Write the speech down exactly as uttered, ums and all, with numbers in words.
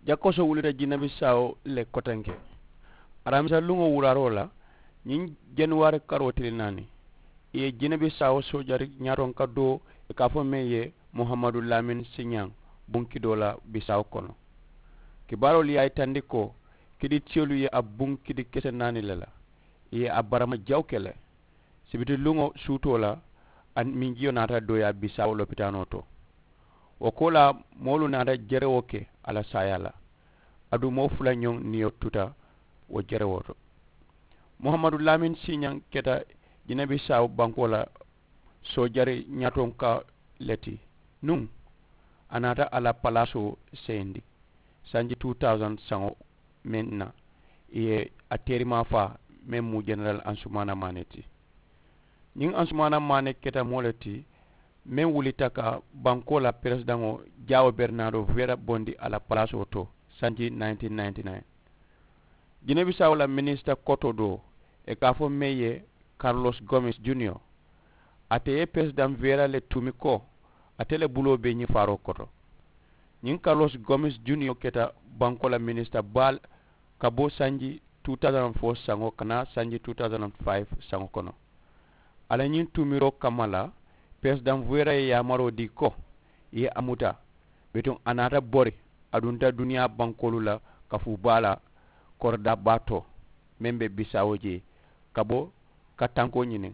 Jakoso wulita jinebisaawo le kotenke. Aramisa luŋo wuraaroo la, ñiŋ januwaari karoo tili naani, i ye jinebisaawo soojari ñaatonka doo, i ka a fo meŋ ye muhamadu lamin siñaŋ, buŋ kidoo la bisaawo kono. Kibaaroolu ye a yitandi ko kidi tiyolu ye a buŋ kidi kese naani le la. I ye a barama jaw ke le. Sibiti luŋo suutoo la, a minjiyo naata dooyaa bisaawo lopitaanoo to. Wo koolaa, moolu naata jerewo ke a la saayaa la. Aduŋ moo fula ñoŋ niyo tuta wo jerewo to. Muhamadu lamin siiñaŋ keta jinebisaawo bankoo la soojari ñaatonka le ti. Nuŋ a naata a la palaasoo seyindi sanji two thousand saŋo meŋ na, i ye a teerimaa faa meŋ mu jeneral ansumaana maane ti. Ñiŋ ansumaana maane keta moo le ti meŋ wulita ka bankoo la peresidaŋo jaawo bernaado vera bondi a la palaasoo to sanji nineteen ninety-nine. Jinebisaawo la minisita koto doo, i ka a fo meŋ ye karilosi gomes juniyo, ate ye peresidaŋ vera le tuumi ko ate le buloo be ñiŋ faaroo koto. Ñiŋ karilosi gomes juniyo keta bankoo la minisita baa le ka bo sanji two thousand four saŋo ka naa sanji two thousand five saŋo kono. A la ñiŋ tuumiroo kamma la, peresidaŋ vera ye yaamaroo dii ko i ye a muta. Bituŋ a naata bori, a dunta duniyaa bankoolu la kafuu baa la koridaa baa to meŋ be bisaawo jee ka bo ka tankoo ñiniŋ.